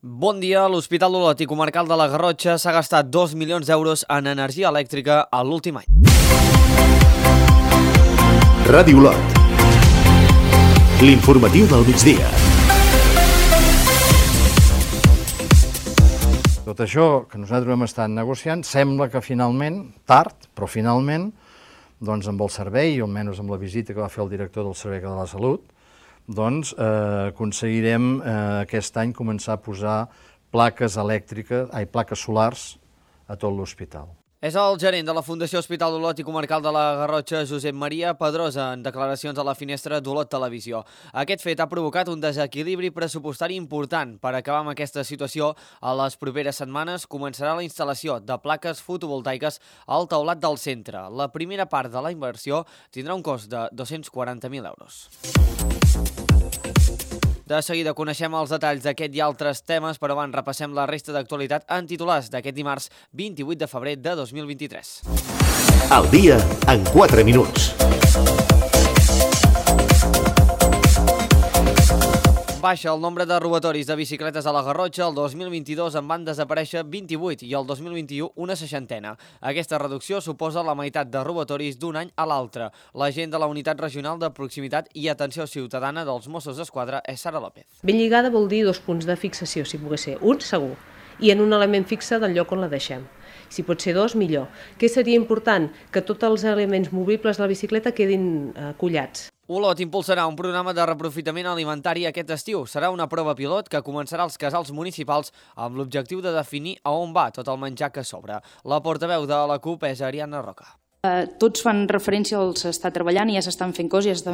Bon dia. L'Hospital Olot i Comarcal de la Garrotxa s'ha gastat 2 milions d'euros en energia elèctrica a l'últim any. Ràdio Olot. L'informatiu del migdia. Tot això que nosaltres hem estat negociant, sembla que finalment, tard, però finalment, doncs amb el servei, o almenys amb la visita que va fer el director del Servei de la Salut, doncs aconseguirem aquest any començar a posar plaques solars a tot l'hospital. És el gerent de la Fundació Hospital d'Olot i Comarcal de la Garrotxa, Josep Maria Pedrosa, en declaracions a la finestra d'Olot Televisió. Aquest fet ha provocat un desequilibri pressupostari important. Per acabar amb aquesta situació, a les properes setmanes començarà la instal·lació de plaques fotovoltaiques al teulat del centre. La primera part de la inversió tindrà un cost de 240.000 euros. De seguida coneixem els detalls d'aquest i altres temes, però abans repassem la resta d'actualitat en titulars d'aquest dimarts 28 de febrer de 2023. El dia en 4 minuts. Baixa el nombre de robatoris de bicicletes a la Garrotxa. El 2022 en van desaparèixer 28 i el 2021 una seixantena. Aquesta reducció suposa la meitat de robatoris d'un any a l'altre. L'agent de la Unitat Regional de Proximitat i Atenció Ciutadana dels Mossos d'Esquadra és Sara López. Ben lligada vol dir 2 punts de fixació, si pogués ser. Un, segur. I en un element fixe del lloc on la deixem. Si pot ser 2, millor. Què seria important? Que tots els elements movibles de la bicicleta quedin collats. Olot impulsarà un programa de reprofitament alimentari aquest estiu. Serà una prova pilot que començarà als casals municipals amb l'objectiu de definir a on va tot el menjar que sobra. La portaveu de la CUP és Ariadna Roca. Tots fan referència al s'està treballant i ja s'estan fent coses,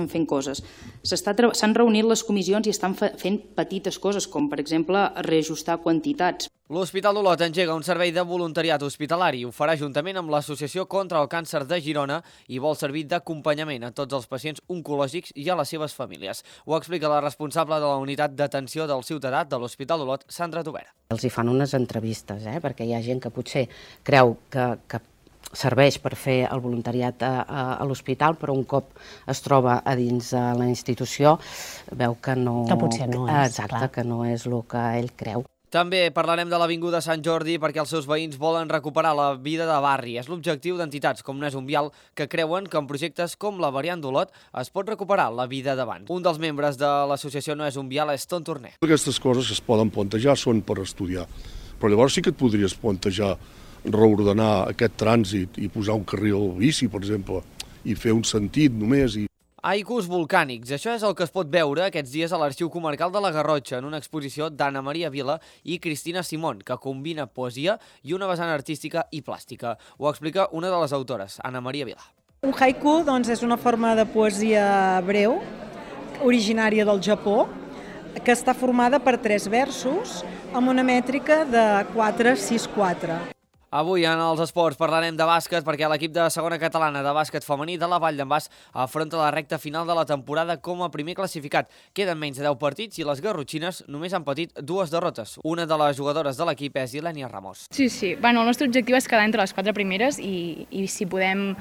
S'han reunit les comissions i estan fent petites coses, com per exemple reajustar quantitats. L'Hospital d'Olot engega un servei de voluntariat hospitalari. Ho farà juntament amb l'Associació contra el Càncer de Girona i vol servir d'acompanyament a tots els pacients oncològics i a les seves famílies. Ho explica la responsable de la Unitat d'Atenció del Ciutadà de l'Hospital d'Olot, Sandra Tobera. Els hi fan unes entrevistes, perquè hi ha gent que potser creu que serveix per fer el voluntariat a l'hospital, però un cop es troba a dins de la institució veu que no... Que potser no és, exacte, clar. Que no és el que ell creu. També parlarem de l'Avinguda Sant Jordi perquè els seus veïns volen recuperar la vida de barri. És l'objectiu d'entitats com No és un vial que creuen que en projectes com la variant d'Olot es pot recuperar la vida d'abans. Un dels membres de l'associació No és un vial és Ton Torner. Aquestes coses es poden plantejar, són per estudiar, però llavors sí que et podries plantejar reordenar aquest trànsit i posar un carril bici, per exemple, i fer un sentit només. Haikus volcànics. Això és el que es pot veure aquests dies a l'Arxiu Comarcal de la Garrotxa en una exposició d'Anna Maria Vila i Cristina Simón, que combina poesia i una vessant artística i plàstica. Ho explica una de les autores, Anna Maria Vila. Un haiku és una forma de poesia breu, originària del Japó, que està formada per 3 versos amb una mètrica de 4-6-4. Avui en els esports parlarem de bàsquet perquè l'equip de segona catalana de bàsquet femení de la Vall d'en Bas afronta la recta final de la temporada com a primer classificat. Queden menys de 10 partits i les garrotxines només han patit 2 derrotes. Una de les jugadores de l'equip és Ilenia Ramos. Sí. El nostre objectiu és quedar entre les 4 primeres i si podem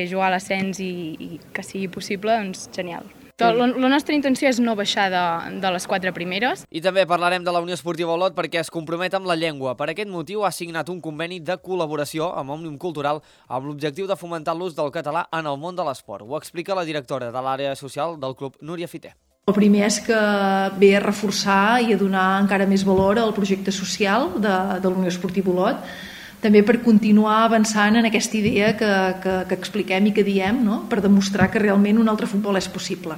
jugar a l'ascens i que sigui possible, doncs genial. La nostra intenció és no baixar de les 4 primeres. I també parlarem de la Unió Esportiva Olot perquè es compromet amb la llengua. Per aquest motiu ha signat un conveni de col·laboració amb Òmnium Cultural amb l'objectiu de fomentar l'ús del català en el món de l'esport. Ho explica la directora de l'àrea social del club, Núria Fiter. El primer és que ve a reforçar i a donar encara més valor al projecte social de la Unió Esportiva Olot, també per continuar avançant en aquesta idea que expliquem i que diem, no? Per demostrar que realment un altre futbol és possible.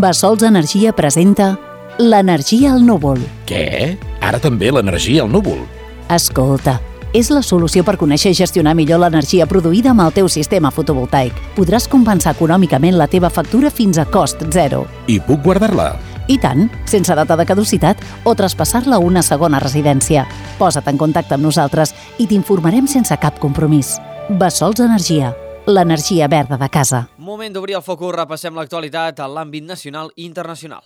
Bassols Energia presenta l'energia al núvol. Què? Ara també l'energia al núvol? Escolta, és la solució per conèixer i gestionar millor l'energia produïda amb el teu sistema fotovoltaic. Podràs compensar econòmicament la teva factura fins a cost zero. I puc guardar-la? I tant, sense data de caducitat o traspassar-la a una segona residència. Posa't en contacte amb nosaltres i t'informarem sense cap compromís. Bassols Energia, l'energia verda de casa. Moment d'obrir el focus, repassem l'actualitat a l'àmbit nacional i internacional.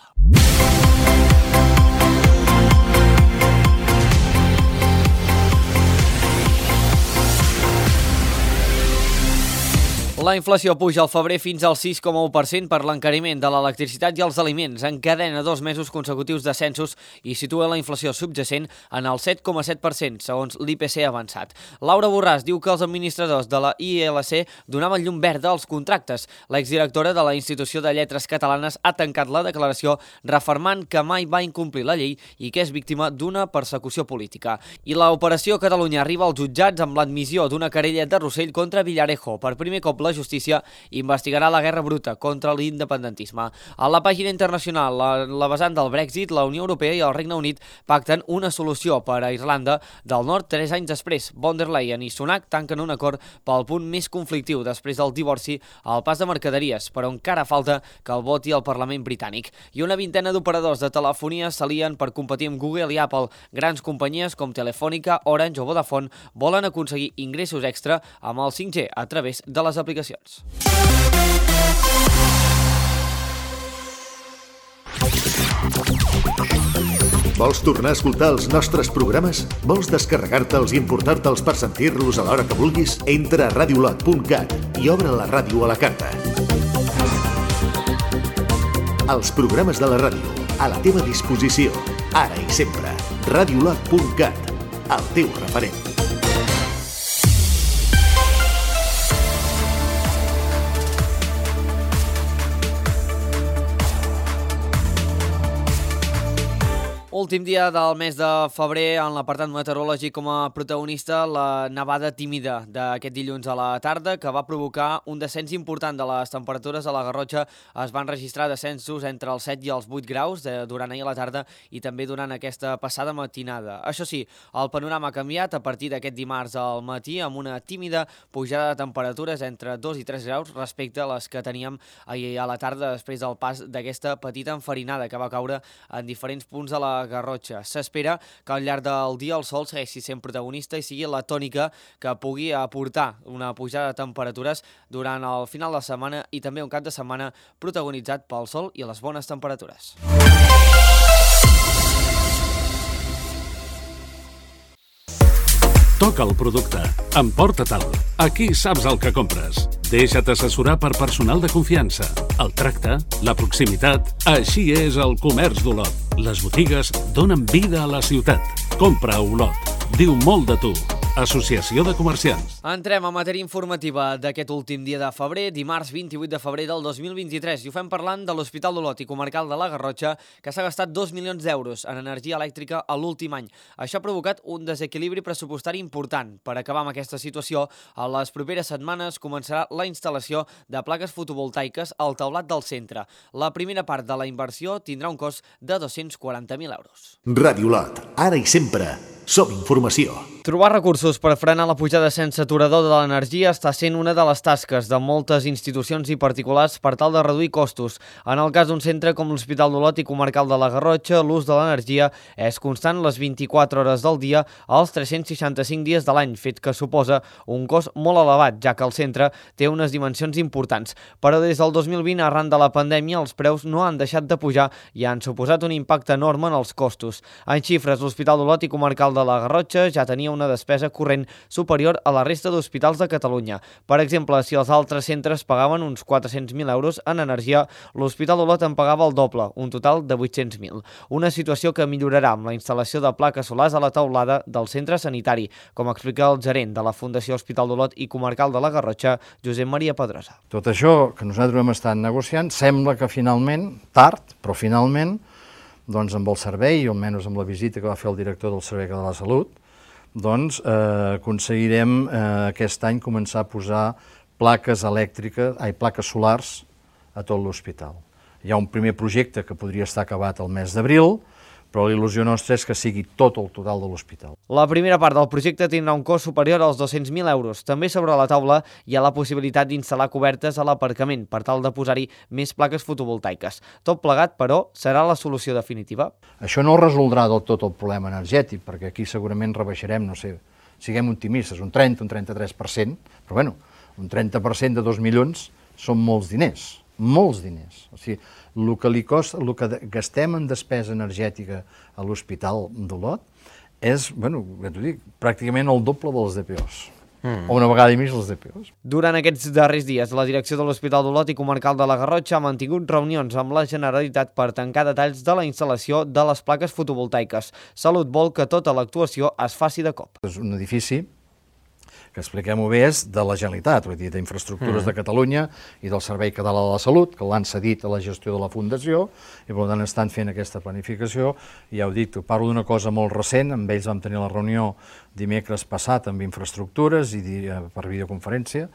La inflació puja al febrer fins al 6,1% per l'encariment de l'electricitat i els aliments. Encadena 2 mesos consecutius descensos i situa la inflació subjacent en el 7,7%, segons l'IPC avançat. Laura Borràs diu que els administradors de la ILC donaven llum verda als contractes. L'exdirectora de la Institució de Lletres Catalanes ha tancat la declaració refermant que mai va incomplir la llei i que és víctima d'una persecució política. I l'Operació Catalunya arriba als jutjats amb l'admissió d'una querella de Rossell contra Villarejo. Per primer cop la justícia investigarà la guerra bruta contra l'independentisme. A la pàgina internacional, la vessant del Brexit, la Unió Europea i el Regne Unit pacten una solució per a Irlanda del Nord 3 anys després. Von der Leyen i Sunak tanquen un acord pel punt més conflictiu després del divorci al pas de mercaderies, però encara falta que el voti el Parlament britànic. I una vintena d'operadors de telefonia s'alien per competir amb Google i Apple. Grans companyies com Telefònica, Orange o Vodafone volen aconseguir ingressos extra amb el 5G a través de les aplicacions. Vols tornar a escoltar els nostres programes? Vols descarregar-te'ls i importar-te'ls per sentir-los a l'hora que vulguis? Entra a radiolot.cat i obre la ràdio a la carta. Els programes de la ràdio, a la teva disposició, ara i sempre. Radiolot.cat, el teu referent. Últim dia del mes de febrer, en l'apartat meteorològic com a protagonista, la nevada tímida d'aquest dilluns a la tarda, que va provocar un descens important de les temperatures. A la Garrotxa es van registrar descensos entre els 7 i els 8 graus durant ahir a la tarda i també durant aquesta passada matinada. Això sí, el panorama ha canviat a partir d'aquest dimarts al matí, amb una tímida pujada de temperatures entre 2 i 3 graus respecte a les que teníem ahir a la tarda després del pas d'aquesta petita enfarinada que va caure en diferents punts de la Garrotxa. S'espera que al llarg del dia el sol segueixi sent protagonista i sigui la tònica que pugui aportar una pujada de temperatures durant el final de setmana i també un cap de setmana protagonitzat pel sol i les bones temperatures. Toca el producte. Emporta-te'l. Aquí saps el que compres. Deixa't assessorar per personal de confiança. El tracte, la proximitat, així és el comerç d'Olot. Les botigues donen vida a la ciutat. Compra a Olot. Diu molt de tu. Associació de Comerciants. Entrem a matèria informativa d'aquest últim dia de febrer, dimarts 28 de febrer del 2023, i ho fem parlant de l'Hospital d'Olot i Comarcal de la Garrotxa, que s'ha gastat 2 milions d'euros en energia elèctrica a l'últim any. Això ha provocat un desequilibri pressupostari important. Per acabar amb aquesta situació, a les properes setmanes començarà la instal·lació de plaques fotovoltaiques al teulat del centre. La primera part de la inversió tindrà un cost de 240.000 euros. Ràdio Olot, ara i sempre. Som informació. Trobar recursos per frenar la pujada sense aturador de l'energia està sent una de les tasques de moltes institucions i particulars per tal de reduir costos. En el cas d'un centre com l'Hospital d'Olot i Comarcal de la Garrotxa, l'ús de l'energia és constant les 24 hores del dia als 365 dies de l'any, fet que suposa un cost molt elevat, ja que el centre té unes dimensions importants. Però des del 2020, arran de la pandèmia, els preus no han deixat de pujar i han suposat un impacte enorme en els costos. En xifres, l'Hospital d'Olot i Comarcal de la Garrotxa ja tenia una despesa corrent superior a la resta d'hospitals de Catalunya. Per exemple, si els altres centres pagaven uns 400.000 euros en energia, l'Hospital d'Olot en pagava el doble, un total de 800.000. Una situació que millorarà amb la instal·lació de plaques solars a la teulada del centre sanitari, com explica el gerent de la Fundació Hospital d'Olot i Comarcal de la Garrotxa, Josep Maria Pedrosa. Tot això que nosaltres hem estat negociant sembla que finalment, tard, però finalment, doncs amb el servei, o almenys amb la visita que va fer el director del Servei de la Salut, doncs aconseguirem aquest any començar a posar plaques solars a tot l'hospital. Hi ha un primer projecte que podria estar acabat el mes d'abril, però l'il·lusió nostra és que sigui tot el total de l'hospital. La primera part del projecte tindrà un cost superior als 200.000 euros. També sobre la taula hi ha la possibilitat d'instal·lar cobertes a l'aparcament per tal de posar-hi més plaques fotovoltaiques. Tot plegat, però, serà la solució definitiva? Això no resoldrà del tot el problema energètic, perquè aquí segurament rebaixarem, no sé, siguem optimistes, un 30, un 33%, però bueno, un 30% de 2 milions són molts diners. Molts diners. O sigui, el que gastem en despesa energètica a l'Hospital d'Olot és, bueno, pràcticament el doble dels DPOs. o una vegada i mig les DPOs. Durant aquests darrers dies, la direcció de l'Hospital d'Olot i Comarcal de la Garrotxa ha mantingut reunions amb la Generalitat per tancar detalls de la instal·lació de les plaques fotovoltaiques. Salut vol que tota l'actuació es faci de cop. És un edifici que, expliquem-ho bé, és de la Generalitat, vull dir, d'Infraestructures de Catalunya i del Servei Català de la Salut, que l'han cedit a la gestió de la Fundació, i per tant estan fent aquesta planificació. I ja ho dic, parlo d'una cosa molt recent, amb ells vam tenir la reunió dimecres passat amb Infraestructures i per videoconferència,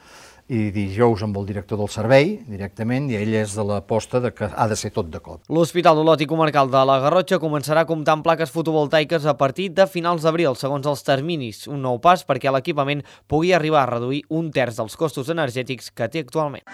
i dijous amb el director del servei, directament, i ell és de l'aposta que ha de ser tot de cop. L'Hospital d'Olot i Comarcal de la Garrotxa començarà a comptar amb plaques fotovoltaiques a partir de finals d'abril, segons els terminis. Un nou pas perquè l'equipament pugui arribar a reduir un terç dels costos energètics que té actualment.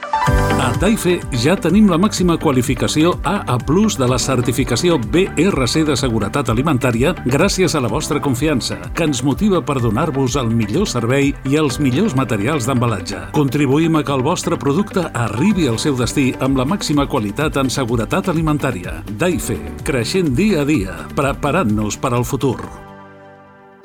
A Taife ja tenim la màxima qualificació AA+ de la certificació BRC de seguretat alimentària gràcies a la vostra confiança, que ens motiva per donar-vos el millor servei i els millors materials d'embalatge. Contribuïm a que el vostre producte arribi al seu destí amb la màxima qualitat en seguretat alimentària. Taife, creixent dia a dia, preparant-nos per al futur.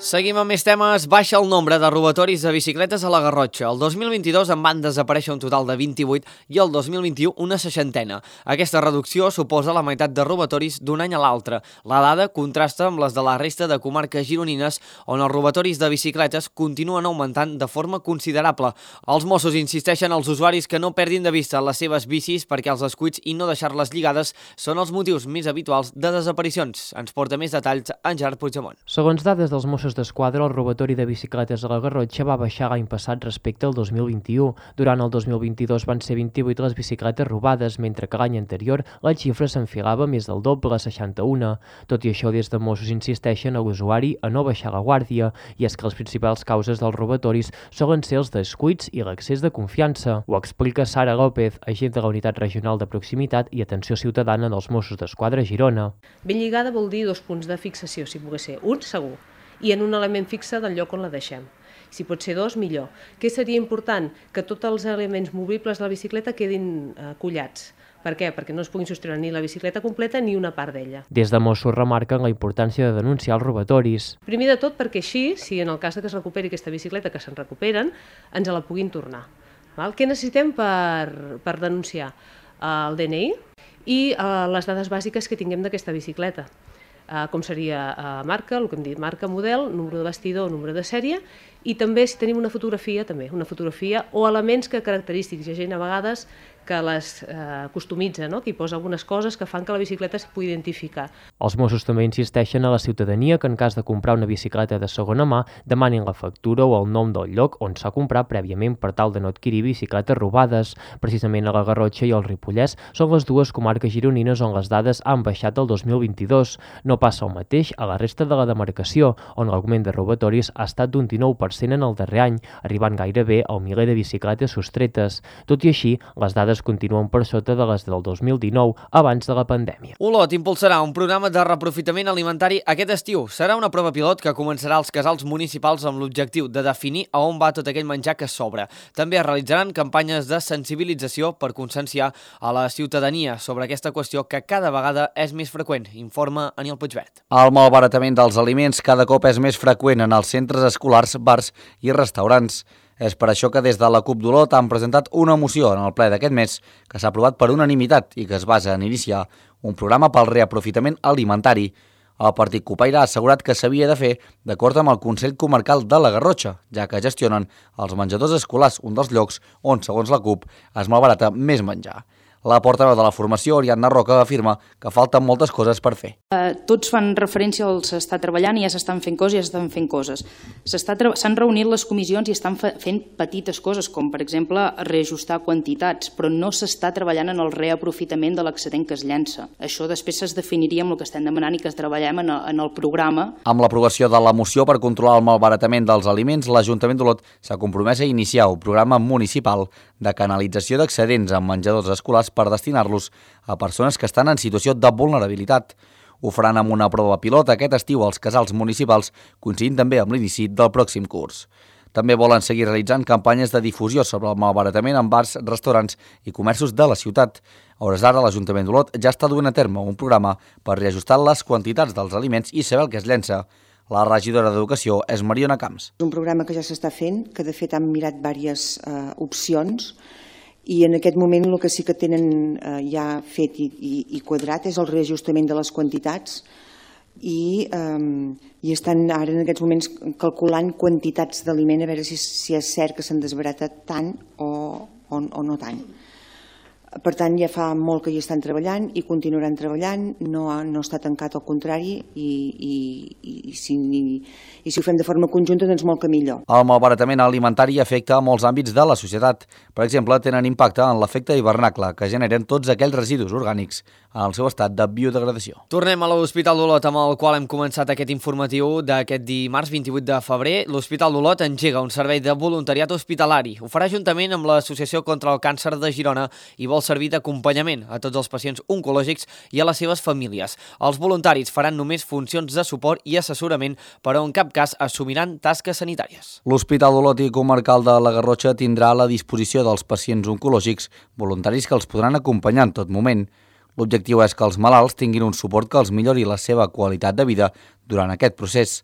Seguim amb més temes. Baixa el nombre de robatoris de bicicletes a la Garrotxa. El 2022 en van desaparèixer un total de 28 i el 2021 una 60. Aquesta reducció suposa la meitat de robatoris d'un any a l'altre. La dada contrasta amb les de la resta de comarques gironines, on els robatoris de bicicletes continuen augmentant de forma considerable. Els Mossos insisteixen als usuaris que no perdin de vista les seves bicis perquè els descuits i no deixar-les lligades són els motius més habituals de desaparicions. Ens porta més detalls en Gerard Puigdemont. Segons dades dels Mossos d'Esquadra, el robatori de bicicletes a la Garrotxa va baixar l'any passat respecte al 2021. Durant el 2022 van ser 28 les bicicletes robades, mentre que l'any anterior la xifra s'enfilava més del doble, a 61. Tot i això, des de Mossos insisteixen a l'usuari a no baixar la guàrdia, i és que les principals causes dels robatoris solen ser els descuits i l'accés de confiança. Ho explica Sara López, agent de la Unitat Regional de Proximitat i Atenció Ciutadana dels Mossos d'Esquadra a Girona. Ben lligada vol dir 2 punts de fixació, si pogués ser un, segur, i en un element fixe del lloc on la deixem. Si pot ser 2, millor. Què seria important? Que tots els elements movibles de la bicicleta quedin collats. Per què? Perquè no es puguin sostreure ni la bicicleta completa ni una part d'ella. Des de Mossos remarquen la importància de denunciar els robatoris. Primer de tot perquè així, si en el cas que es recuperi aquesta bicicleta, que se'n recuperen, ens la puguin tornar. Què necessitem per denunciar? El DNI i les dades bàsiques que tinguem d'aquesta bicicleta. Com seria marca, el que hem dit, marca, model, número de bastidor, número de sèrie, i també si tenim una fotografia o elements característics. Hi ha gent a vegades que les customitza, que hi posa algunes coses que fan que la bicicleta es pugui identificar. Els Mossos també insisteixen a la ciutadania que en cas de comprar una bicicleta de segona mà demanin la factura o el nom del lloc on s'ha comprat prèviament per tal de no adquirir bicicletes robades. Precisament a la Garrotxa i el Ripollès són les dues comarques gironines on les dades han baixat el 2022. No passa el mateix a la resta de la demarcació, on l'augment de robatoris ha estat d'un 19% en el darrer any, arribant gairebé al miler de bicicletes sostretes. Tot i així, les dades continuen per sota de les del 2019, abans de la pandèmia. Olot impulsarà un programa de reaprofitament alimentari aquest estiu. Serà una prova pilot que començarà als casals municipals amb l'objectiu de definir a on va tot aquell menjar que sobra. També es realitzaran campanyes de sensibilització per conscienciar a la ciutadania sobre aquesta qüestió que cada vegada és més freqüent, informa Aniel Puigvert. El malbaratament dels aliments cada cop és més freqüent en els centres escolars, bars i restaurants. És per això que des de la CUP d'Olot han presentat una moció en el ple d'aquest mes que s'ha aprovat per unanimitat i que es basa en iniciar un programa pel reaprofitament alimentari. El partit cupaire ha assegurat que s'havia de fer d'acord amb el Consell Comarcal de la Garrotxa, ja que gestionen els menjadors escolars, un dels llocs on, segons la CUP, es malbarata més menjar. La portaveu de la formació, Oriana Roca, afirma que falten moltes coses per fer. Tots fan referència al s'està treballant i ja s'estan fent coses i ja s'estan fent coses. S'han reunit les comissions i estan fent petites coses, com per exemple reajustar quantitats, però no s'està treballant en el reaprofitament de l'excedent que es llença. Això després es definiria amb el que estem demanant i que es treballem en el programa. Amb l'aprovació de la moció per controlar el malbaratament dels aliments, l'Ajuntament d'Olot s'ha compromès a iniciar un programa municipal de canalització d'excedents en menjadors escolars per destinar-los a persones que estan en situació de vulnerabilitat. Ho faran amb una prova pilot aquest estiu als casals municipals, coincidint també amb l'inici del pròxim curs. També volen seguir realitzant campanyes de difusió sobre el malbaratament en bars, restaurants i comerços de la ciutat. A hores d'ara, l'Ajuntament d'Olot ja està duent a terme un programa per reajustar les quantitats dels aliments i saber el que es llença. La regidora d'Educació és Mariona Camps. És un programa que ja s'està fent, que de fet han mirat diverses opcions, i en aquest moment el que sí que tenen ja fet i quadrat és el reajustament de les quantitats i estan ara en aquests moments calculant quantitats d'aliment a veure si és cert que s'han desbaratat tant o no tant. Per tant, ja fa molt que hi estan treballant i continuaran treballant, no està tancat, al contrari, i si ho fem de forma conjunta, doncs molt que millor. El malbaratament alimentari afecta a molts àmbits de la societat. Per exemple, tenen impacte en l'efecte hivernacle que generen tots aquells residus orgànics en el seu estat de biodegradació. Tornem a l'Hospital d'Olot, amb el qual hem començat aquest informatiu d'aquest dimarts 28 de febrer. L'Hospital d'Olot engega un servei de voluntariat hospitalari. Ho farà juntament amb l'Associació contra el Càncer de Girona i vol servir d'acompanyament a tots els pacients oncològics i a les seves famílies. Els voluntaris faran només funcions de suport i assessorament, però en cap cas assumiran tasques sanitàries. L'Hospital d'Olot i Comarcal de la Garrotxa tindrà a la disposició dels pacients oncològics voluntaris que els podran acompanyar en tot moment. L'objectiu és que els malalts tinguin un suport que els millori la seva qualitat de vida durant aquest procés.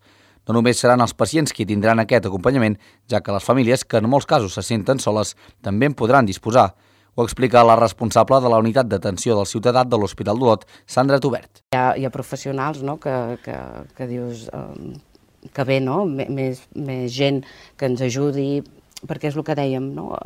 No només seran els pacients qui tindran aquest acompanyament, ja que les famílies, que en molts casos se senten soles, també en podran disposar. Ho explica la responsable de la unitat d'atenció del ciutadà de l'Hospital d'Olot, Sandra Tubert. Hi ha professionals, no?, que dius que bé, no?, més gent que ens ajudi, perquè és el que dèiem, no?,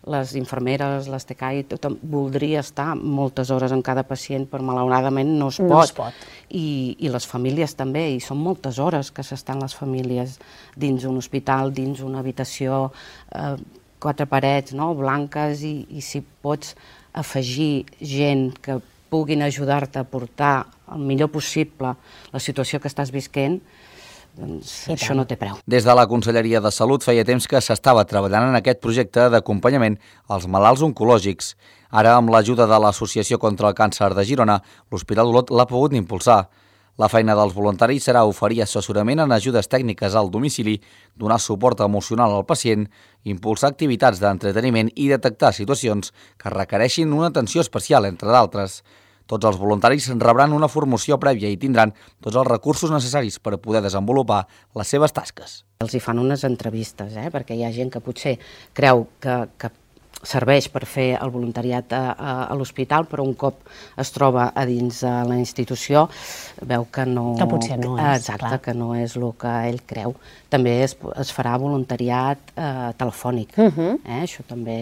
les infermeres, les TCAI, tothom voldria estar moltes hores en cada pacient, però malauradament no es pot. I les famílies també, i són moltes hores que s'estan les famílies dins un hospital, dins una habitació, 4 parets, no?, blanques, i si pots afegir gent que puguin ajudar-te a portar el millor possible la situació que estàs visquent, doncs això no té preu. Des de la Conselleria de Salut feia temps que s'estava treballant en aquest projecte d'acompanyament als malalts oncològics. Ara, amb l'ajuda de l'Associació contra el Càncer de Girona, l'Hospital d'Olot l'ha pogut impulsar. La feina dels voluntaris serà oferir assessorament en ajudes tècniques al domicili, donar suport emocional al pacient, impulsar activitats d'entreteniment i detectar situacions que requereixin una atenció especial, entre d'altres. Tots els voluntaris rebran una formació prèvia i tindran tots els recursos necessaris per poder desenvolupar les seves tasques. Els hi fan unes entrevistes, perquè hi ha gent que potser creu que serveix per fer el voluntariat a l'hospital, però un cop es troba a dins de la institució veu que no... Que potser no és, exacte, clar. Que no és el que ell creu. També es farà voluntariat telefònic. Això també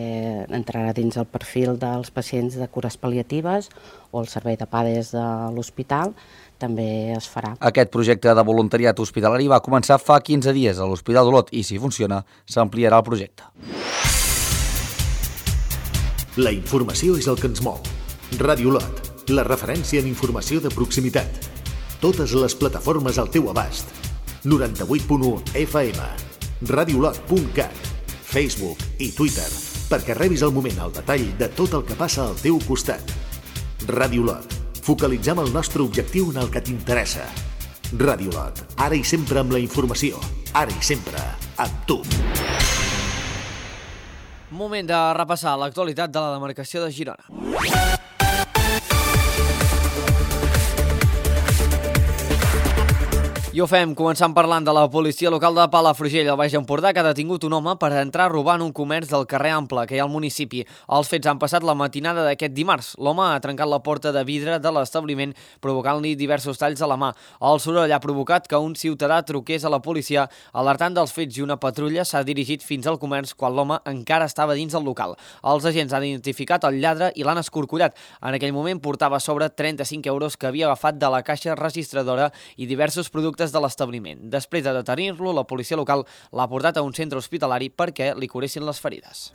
entrarà dins el perfil dels pacients de cures pal·liatives o el servei de PADES de l'hospital, també es farà. Aquest projecte de voluntariat hospitalari va començar fa 15 dies a l'Hospital d'Olot i, si funciona, s'ampliarà el projecte. La informació és el que ens mou. Ràdio Olot, la referència en informació de proximitat. Totes les plataformes al teu abast. 98.1 FM, radiolot.cat, Facebook i Twitter, perquè rebis al moment el detall de tot el que passa al teu costat. Ràdio Olot, focalitzem el nostre objectiu en el que t'interessa. Ràdio Olot, ara i sempre amb la informació, ara i sempre amb tu. Moment de repassar l'actualitat de la demarcació de Girona. I ho fem començant parlant de la policia local de Palafrugell, al Baix Empordà, que ha detingut un home per entrar a robar en un comerç del carrer Ample, que hi ha al municipi. Els fets han passat la matinada d'aquest dimarts. L'home ha trencat la porta de vidre de l'establiment, provocant-li diversos talls a la mà. El soroll ha provocat que un ciutadà truqués a la policia, alertant dels fets, i una patrulla s'ha dirigit fins al comerç quan l'home encara estava dins el local. Els agents han identificat el lladre i l'han escorcollat. En aquell moment portava a sobre 35 euros que havia agafat de la caixa registradora i diversos productes de l'establiment. Després de detenir-lo, la policia local l'ha portat a un centre hospitalari perquè li curessin les ferides.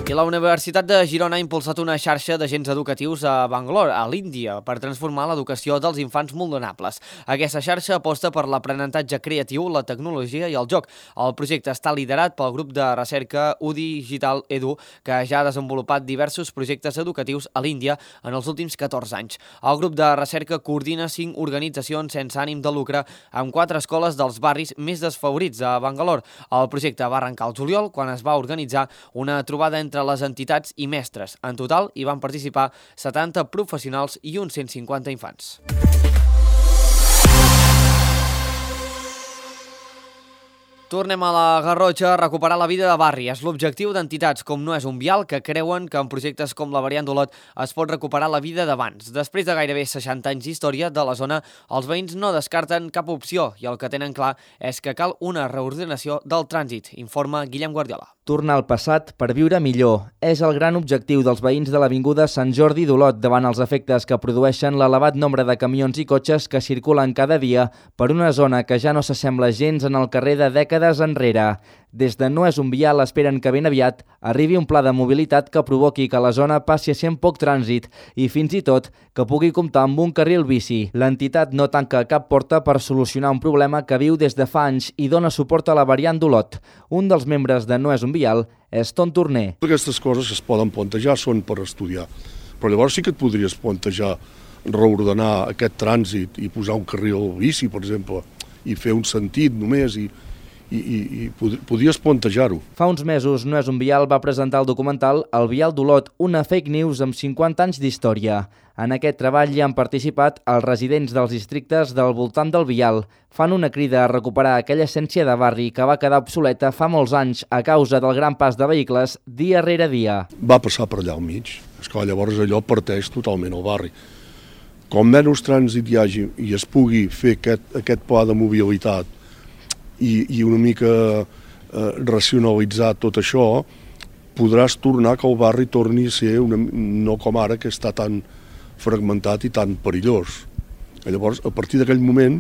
I la Universitat de Girona ha impulsat una xarxa d'agents educatius a Bangalore, a l'Índia, per transformar l'educació dels infants vulnerables. Aquesta xarxa aposta per l'aprenentatge creatiu, la tecnologia i el joc. El projecte està liderat pel grup de recerca UDI Digital Edu, que ja ha desenvolupat diversos projectes educatius a l'Índia en els últims 14 anys. El grup de recerca coordina 5 organitzacions sense ànim de lucre amb 4 escoles dels barris més desfavorits de Bangalore. El projecte va arrencar al juliol, quan es va organitzar una trobada entre les entitats i mestres. En total hi van participar 70 professionals i uns 150 infants. Tornem a la Garrotxa a recuperar la vida de barri. És l'objectiu d'entitats com No és un vial que creuen que en projectes com la variant d'Olot es pot recuperar la vida d'abans. Després de gairebé 60 anys d'història de la zona, els veïns no descarten cap opció i el que tenen clar és que cal una reordenació del trànsit, informa Guillem Guardiola. Tornar al passat per viure millor és el gran objectiu dels veïns de l'avinguda Sant Jordi d'Olot davant els efectes que produeixen l'elevat nombre de camions i cotxes que circulen cada dia per una zona que ja no s'assembla gens en el carrer de dècades enrere. Des de No és un vial esperen que ben aviat arribi un pla de mobilitat que provoqui que la zona passi a ser amb poc trànsit i fins i tot que pugui comptar amb un carril bici. L'entitat no tanca cap porta per solucionar un problema que viu des de fa anys i dona suport a la variant d'Olot. Un dels membres de No és un vial és Ton Torner. Aquestes coses que es poden plantejar són per estudiar, però llavors sí que et podries plantejar reordenar aquest trànsit i posar un carril bici, per exemple, i fer un sentit només i podries plantejar-ho. Fa uns mesos, No és un vial va presentar el documental El vial d'Olot, una fake news amb 50 anys d'història. En aquest treball hi han participat els residents dels districtes del voltant del vial. Fan una crida a recuperar aquella essència de barri que va quedar obsoleta fa molts anys a causa del gran pas de vehicles dia rere dia. Va passar per allà al mig. Esclar, llavors allò parteix totalment el barri. Com menys trànsit hi hagi i es pugui fer aquest pla de mobilitat i una mica racionalitzar tot això, podràs tornar que el barri torni a ser no com ara, que està tan fragmentat i tan perillós. Llavors, a partir d'aquell moment,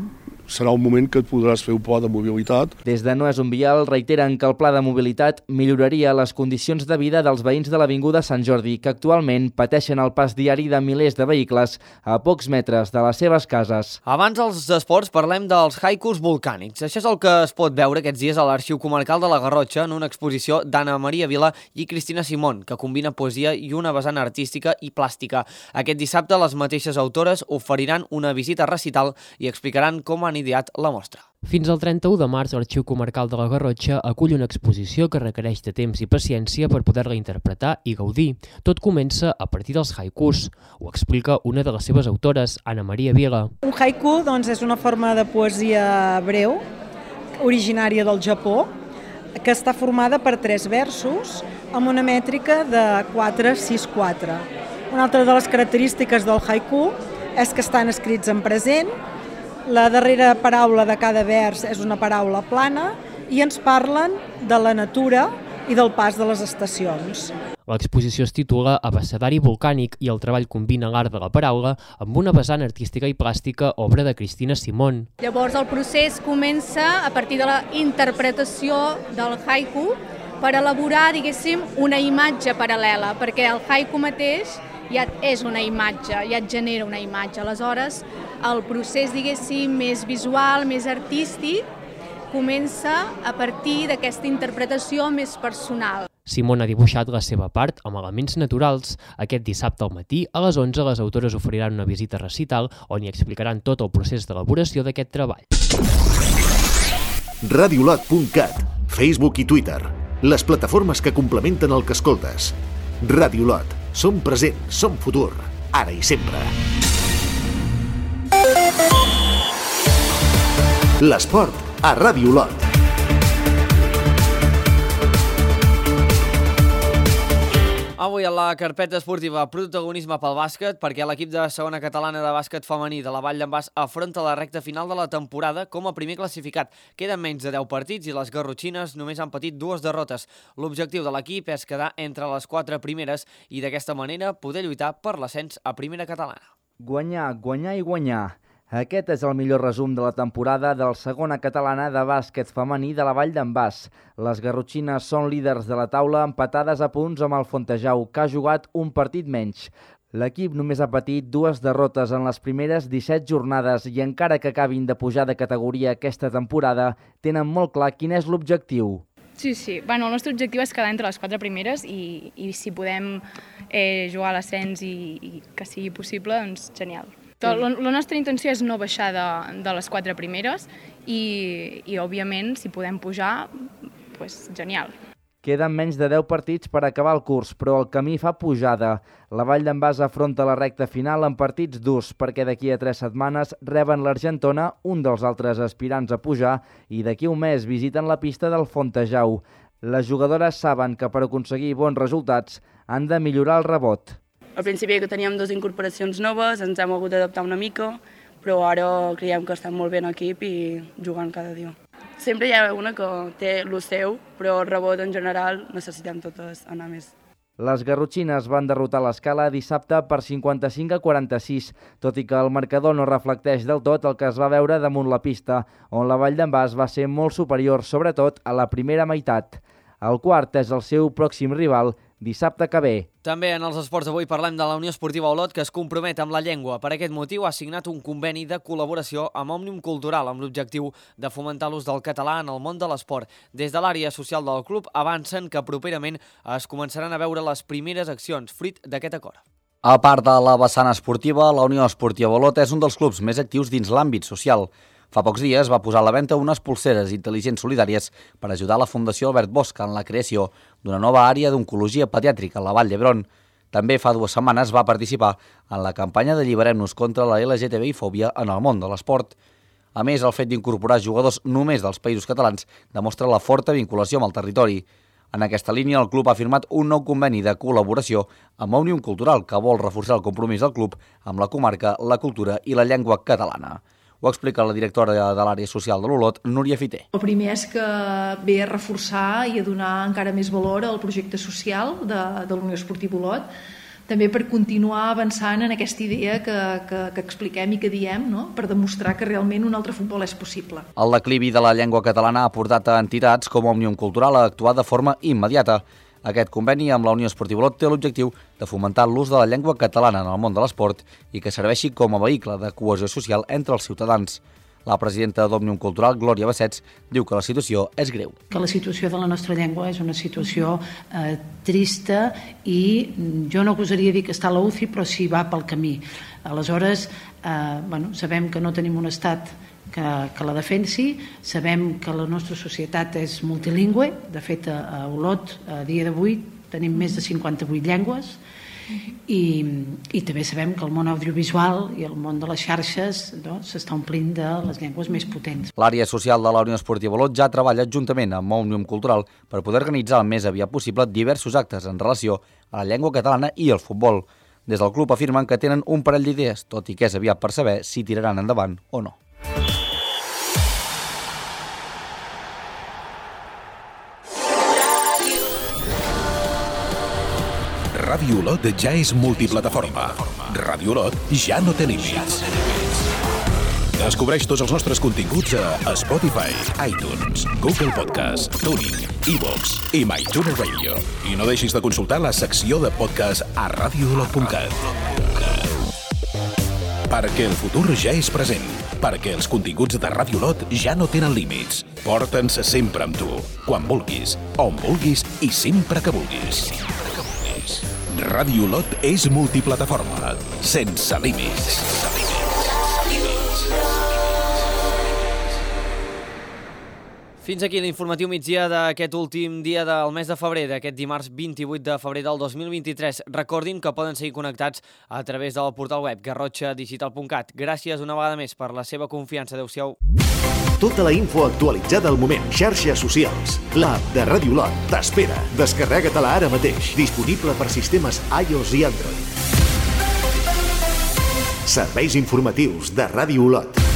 serà un moment que et podràs fer un pla de mobilitat. Des de No és un vial reiteren que el pla de mobilitat milloraria les condicions de vida dels veïns de l'avinguda Sant Jordi, que actualment pateixen el pas diari de milers de vehicles a pocs metres de les seves cases. Abans dels esports parlem dels haikus volcànics. Això és el que es pot veure aquests dies a l'Arxiu Comarcal de la Garrotxa en una exposició d'Anna Maria Vila i Cristina Simón, que combina poesia i una vessant artística i plàstica. Aquest dissabte les mateixes autores oferiran una visita recital i explicaran com han ideat la mostra. Fins al 31 de març, l'Arxiu Comarcal de la Garrotxa acull una exposició que requereix de temps i paciència per poder-la interpretar i gaudir. Tot comença a partir dels haikus. Ho explica una de les seves autores, Anna Maria Vila. Un haiku és una forma de poesia breu, originària del Japó, que està formada per 3 versos amb una mètrica de 4-6-4. Una altra de les característiques del haiku és que estan escrits en present. La darrera paraula de cada vers és una paraula plana i ens parlen de la natura i del pas de les estacions. L'exposició es titula Abecedari volcànic i el treball combina l'art de la paraula amb una vessant artística i plàstica, obra de Cristina Simón. Llavors el procés comença a partir de la interpretació del haiku per elaborar, diguéssim, una imatge paral·lela, perquè el haiku mateix ja és una imatge, ja et genera una imatge. Aleshores, el procés, diguéssim, més visual, més artístic, comença a partir d'aquesta interpretació més personal. Simón ha dibuixat la seva part amb elements naturals. Aquest dissabte al matí, a les 11, les autores oferiran una visita recital on hi explicaran tot el procés d'elaboració d'aquest treball. Radiolot.cat, Facebook i Twitter, les plataformes que complementen el que escoltes. Radiolot, som present, som futur, ara i sempre. L'esport a Radiolot. Avui a la carpeta esportiva protagonisme pel bàsquet, perquè l'equip de segona catalana de bàsquet femení de la Vall d'en Bas afronta la recta final de la temporada com a primer classificat. Queden menys de 10 partits i les garrotxines només han patit 2 derrotes. L'objectiu de l'equip és quedar entre les 4 primeres i d'aquesta manera poder lluitar per l'ascens a primera catalana. Guanyar, guanyar i guanyar. Aquest és el millor resum de la temporada del segona catalana de bàsquet femení de la Vall d'en Bas. Les garrotxines són líders de la taula empatades a punts amb el Fontejau, que ha jugat un partit menys. L'equip només ha patit 2 derrotes en les primeres 17 jornades i encara que acabin de pujar de categoria aquesta temporada, tenen molt clar quin és l'objectiu. Sí. El nostre objectiu és quedar entre les 4 primeres i si podem jugar a l'ascens i que sigui possible, doncs genial. La nostra intenció és no baixar de les 4 primeres i òbviament, si podem pujar, doncs genial. Queden menys de 10 partits per acabar el curs, però el camí fa pujada. La Vall d'en Bas afronta la recta final amb partits durs, perquè d'aquí a 3 setmanes reben l'Argentona, un dels altres aspirants a pujar, i d'aquí un mes visiten la pista del Fontejau. Les jugadores saben que per aconseguir bons resultats han de millorar el rebot. Al principi que teníem 2 incorporacions noves, ens hem hagut d'adaptar una mica, però ara creiem que estem molt bé en equip i jugant cada dia. Sempre hi ha una que té el seu, però el rebot en general necessitem totes anar més. Les garrotxines van derrotar l'Escala dissabte per 55-46, tot i que el marcador no reflecteix del tot el que es va veure damunt la pista, on la Vall d'en Bas va ser molt superior, sobretot a la primera meitat. El quart és el seu pròxim rival, dissabte que ve. També en els esports d'avui parlem de la Unió Esportiva Olot, que es compromet amb la llengua. Per aquest motiu ha signat un conveni de col·laboració amb Òmnium Cultural amb l'objectiu de fomentar l'ús del català en el món de l'esport. Des de l'àrea social del club avancen que properament es començaran a veure les primeres accions fruit d'aquest acord. A part de la vessant esportiva, la Unió Esportiva Olot és un dels clubs més actius dins l'àmbit social. Fa pocs dies va posar a la venda unes pulseres intel·ligents solidàries per ajudar la Fundació Albert Bosch en la creació d'una nova àrea d'oncologia pediàtrica a la Vall d'Hebron. També fa 2 setmanes va participar en la campanya d'Alliberem-nos contra la LGTBI-fòbia en el món de l'esport. A més, el fet d'incorporar jugadors només dels països catalans demostra la forta vinculació amb el territori. En aquesta línia, el club ha firmat un nou conveni de col·laboració amb Òmnium Cultural que vol reforçar el compromís del club amb la comarca, la cultura i la llengua catalana. Ho explica la directora de l'àrea social de l'Olot, Núria Fiter. El primer és que ve a reforçar i a donar encara més valor al projecte social de la Unió Esportiva Olot, també per continuar avançant en aquesta idea que expliquem i que diem, no? Per demostrar que realment un altre futbol és possible. El declivi de la llengua catalana ha portat a entitats com Òmnium Cultural a actuar de forma immediata. Aquest conveni amb la Unió Esportiva Olot té l'objectiu de fomentar l'ús de la llengua catalana en el món de l'esport i que serveixi com a vehicle de cohesió social entre els ciutadans. La presidenta d'Òmnium Cultural, Glòria Bassets, diu que la situació és greu. Que la situació de la nostra llengua és una situació trista i jo no gosaria dir que està a la UCI, però sí va pel camí. Aleshores, sabem que no tenim un estat que la defensi, sabem que la nostra societat és multilingüe, de fet a Olot a dia d'avui tenim més de 58 llengües i també sabem que el món audiovisual i el món de les xarxes s'està omplint de les llengües més potents. L'àrea social de la Unió Esportiva Olot ja treballa juntament amb Òmnium Cultural per poder organitzar el més aviat possible diversos actes en relació a la llengua catalana i el futbol. Des del club afirmen que tenen un parell d'idees, tot i que és aviat per saber si tiraran endavant o no. Ràdio Olot ja és multiplataforma. Ràdio Olot ja no té límits. Descobreix tots els nostres continguts a Spotify, iTunes, Google Podcast, TuneIn, iVoox i MyTuner Radio. I no deixis de consultar la secció de podcast a radioolot.cat. Perquè el futur ja és present. Perquè els continguts de Ràdio Olot ja no tenen límits. Porta'ns sempre amb tu, quan vulguis, on vulguis i sempre que vulguis. Ràdio Olot és multiplataforma, sense límits. Fins aquí l'informatiu migdia d'aquest últim dia del mes de febrer, d'aquest dimarts 28 de febrer del 2023. Recordin que poden seguir connectats a través del portal web garrotxadigital.cat. Gràcies una vegada més per la seva confiança. Adéu-siau. Tota la info actualitzada al moment. Xarxes socials. L'app de Ràdio Olot t'espera. Descarrega-te-la ara mateix. Disponible per sistemes iOS i Android. Serveis informatius de Ràdio Olot.